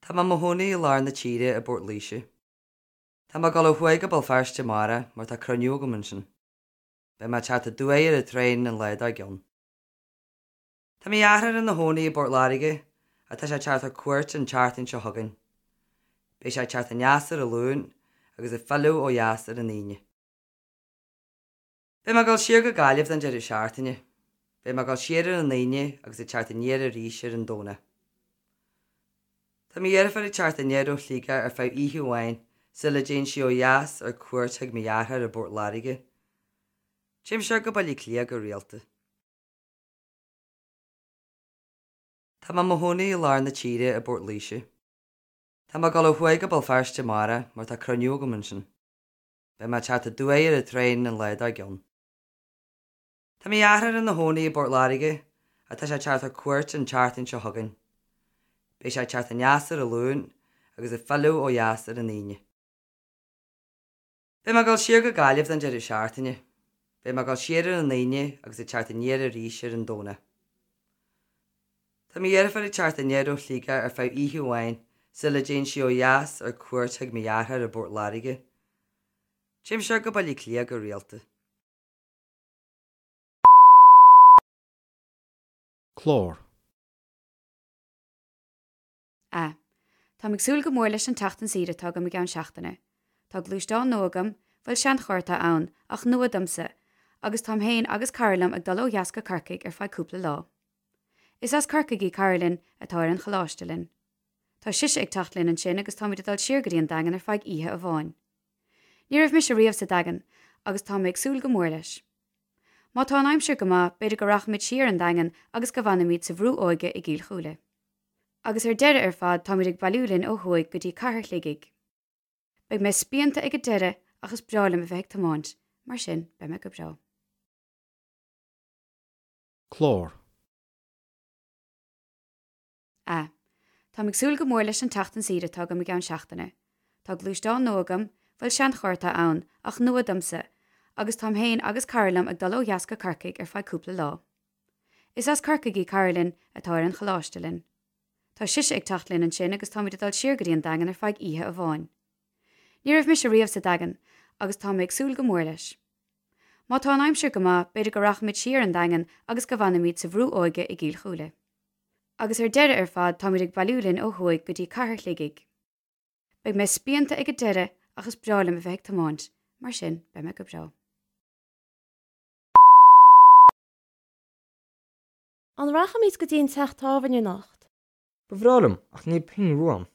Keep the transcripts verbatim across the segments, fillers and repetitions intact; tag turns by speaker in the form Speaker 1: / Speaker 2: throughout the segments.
Speaker 1: Tá mé i mo chónaí i lár na tíre i bPort Laoise. Tá mé ag dul ó thuaidh go Béal Feirste amárach mar tá cruinniú agam ansin. Beidh mé ag teacht aduaidh ar an traein an lá dár gcionn. Tá mo dheartháir ina chónaí i bPort Láirge ach tá sé ag teacht ar cuairt an tseachtain seo chugainn. Beidh sé ag teacht aneas ar an Luan agus ag filleadh ó dheas ar an Aoine. Beidh mé ag dul siar go Gaillimh don deireadh seachtaine. Beidh mé ag dul siar ar an Aoine agus ag teacht aniar arís ar an Domhnach. Tá mo dheirfiúr ag teacht aniar ó Shligeach ar feadh oíche amháin sula dtéann sí ó dheas ar cuairt chuig mo dheartháir i bPort Láirge. Téim siar go Baile Átha Cliath go rialta. Tá mé i mo chónaí i lár na tíre i bPort Laoise. Tá mé ag dul ó thuaidh go Béal Feirste amárach mar tá cruinniú agam ansin. Beidh mé ag teacht aduaidh ar an traein an lá dár gcionn. Tá mo dheartháir ina chónaí i bPort Láirge ach tá sé ag teacht ar cuairt an tseachtain seo chugainn. Beidh sé ag teacht aneas ar an Luan agus ag filleadh ó dheas ar an Aoine. Beidh mé ag dul siar go Gaillimh don deireadh seachtaine. Beidh mé ag dul siar ar an Aoine agus ag teacht aniar arís ar an Domhnach. Tá mo dheirfiúr ag teacht aniar ó Shligeach ar feadh oíche amháin sula dtéann sí ó dheas ar cuairt chuig mo dheartháir i bPort Láirge. Téim siar go Baile Átha Cliath go rialta.
Speaker 2: Clár.
Speaker 3: A. Táim ag súil go mór leis an tseachtain saoire atá agam i gceann seachtaine. Tá gluaisteán nua agam, bhuel seancharr atá ann, ach nua domsa, agus táim féin agus cara liom ag dul ó dheas go Corcaigh ar feadh cúpla lá. Is as Corcaigh í cara linn atá ar an choláiste linn. Tá sise ag teacht linn ansin agus táimid ag dul siar go dtí an Daingean ar feadh oíche amháin. Ní raibh mise riamh sa Daingean agus tá mé ag súil go mór leis. Má tá an aimsir go maith, b'fhéidir go rachaimid siar an Daingean agus go bhfanfaimid sa bhrú óige i gCill Chúile. Agus ar deireadh ar fad táimid ag bailiú linn ó thuaidh go dtí Cathair Shligigh. Beidh mé spíonta ag an deireadh ach is breá liom a bheith ag tiomáint, mar sin beidh mé go breá.
Speaker 2: Clár.
Speaker 3: A. Táim ag súil go mór leis an tseachtain saoire atá agam i gceann seachtaine. Tá gluaisteán nua agam, bhuel seancharr atá ann, ach nua domsa, agus táim féin agus cara liom ag dul ó dheas go Corcaigh ar feadh cúpla lá. Is as Corcaigh í cara linn atá ar an choláiste linn. Tá sise ag teacht linn ansin agus táimid ag dul siar go dtí an Daingean ar feadh oíche amháin. Ní raibh mise riamh sa Daingean agus tá mé ag súil go mór leis. Má tá an aimsir go maith, b'fhéidir go rachaimid siar an Daingean agus go bhfanfaimid sa bhrú óige i gCill Chúile. Agus ar deireadh ar fad táimid ag bailiú linn ó thuaidh go dtí Cathair Shligigh. Beidh mé spíonta ag an deireadh ach is breá liom a bheith ag tiomáint, mar sin beidh mé go breá.
Speaker 4: An rachaimid go dtí an teach tábhairne anocht?
Speaker 5: Ba bhreá liom ach níl pingin rua agam.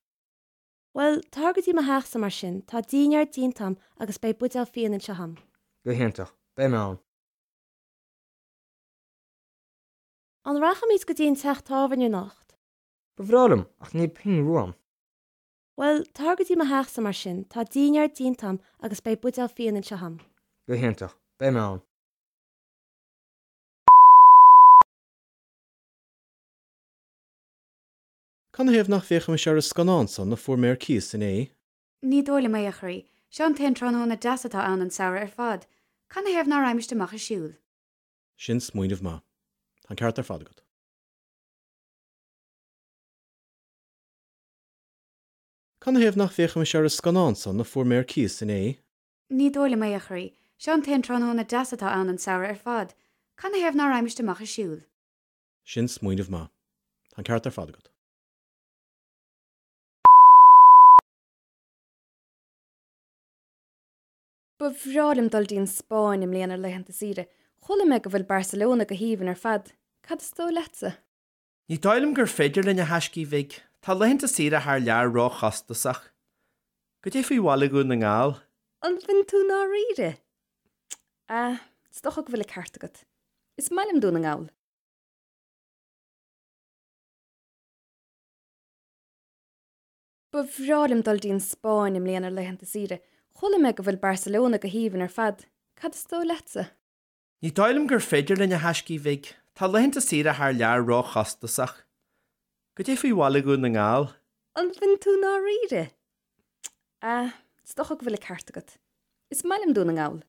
Speaker 4: Bhuel, tar go dtí mo theachsa mar sin, tá dinnéar déanta agam agus beidh buidéal fíon anseo agam.
Speaker 5: Go hiontach, beidh mé ann.
Speaker 4: An rachaimid go dtí an teach tábhairne anocht?
Speaker 5: Ba bhreá liom ach níl pingin rua agam.
Speaker 4: Bhuel, tar go dtí mo theachsa mar sin, tá dinnéar déanta agam agus beidh buidéal fíon anseo agam.
Speaker 5: Go hiontach, beidh mé ann.
Speaker 2: Canathaobh nach bhféachfaimis ar an scannán san a fuair mé ar cíos inné?
Speaker 3: Ní dóigh liom é, a chroí. Seo an t-aon tráthnóna deas atá ann an samhradh ar fad. Canathaobh ná raghaimist amach ag siúl?
Speaker 2: Sin smaoineamh maith. Tá an ceart ar fad agat. Canathaobh nach bhféachfaimis ar an scannán san a fuair mé ar cíos inné?
Speaker 3: Ní dóigh liom é, a chroí. Seo an t-aon tráthnóna deas atá ann an samhradh ar fad. Canathaobh ná raghaimist amach ag siúl?
Speaker 2: Sin smaoineamh maith. Tá an ceart ar fad agat.
Speaker 6: Ba bhreá liom dul dtí an Spáinn i mbliana ar laethanta saoire. Chuala mé go bhfuil Barcelona go haoibhinn ar fad. Cad is dóigh leatsa?
Speaker 7: Ní dóigh liom gur féidir linn a thaiscí bhig. Tá laethanta saoire thar lear róchostasach. Goidé faoi bhaile Dhún na nGall?
Speaker 6: An bhfuil tú dáiríre? Ah, is dócha go bhfuil an ceart agat. Is maith liom Dún na nGall. Ba bhreá liom dul dtí an Spáinn i mbliana ar laethanta saoire. Chuala mé go bhfuil Barcelona go haoibhinn ar fad. Cad is dóigh leatsa?
Speaker 7: Ní dóigh liom gur féidir linn a thaiscí bhig. Tá laethanta saoire thar lear róchostasach. Goidé faoi bhaile Dhún na nGall?
Speaker 6: An bhfuil tú dáiríre? Ah, is dócha go bhfuil an ceart agat. Is maith liom Dún na nGall.